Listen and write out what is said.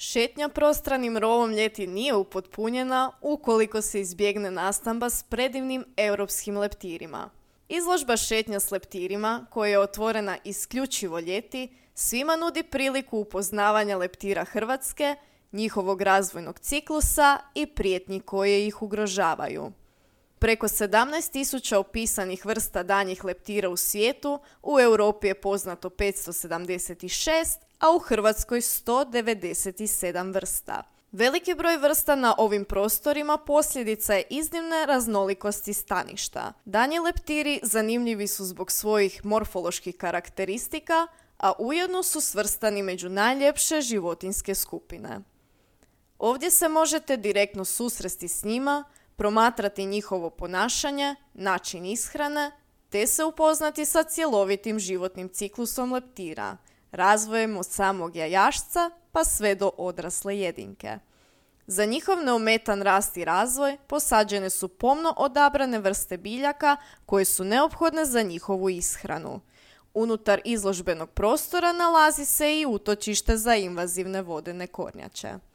Šetnja prostranim rovom ljeti nije upotpunjena ukoliko se izbjegne nastamba s predivnim europskim leptirima. Izložba šetnja s leptirima, koja je otvorena isključivo ljeti, svima nudi priliku upoznavanja leptira Hrvatske, njihovog razvojnog ciklusa i prijetnji koje ih ugrožavaju. Preko 17.000 opisanih vrsta danjih leptira u svijetu, u Europi je poznato 576, a u Hrvatskoj 197 vrsta. Veliki broj vrsta na ovim prostorima posljedica je iznimne raznolikosti staništa. Danji leptiri zanimljivi su zbog svojih morfoloških karakteristika, a ujedno su svrstani među najljepše životinjske skupine. Ovdje se možete direktno susresti s njima, promatrati njihovo ponašanje, način ishrane, te se upoznati sa cjelovitim životnim ciklusom leptira, razvojem od samog jajašca pa sve do odrasle jedinke. Za njihov neometan rast i razvoj posađene su pomno odabrane vrste biljaka koje su neophodne za njihovu ishranu. Unutar izložbenog prostora nalazi se i utočište za invazivne vodene kornjače.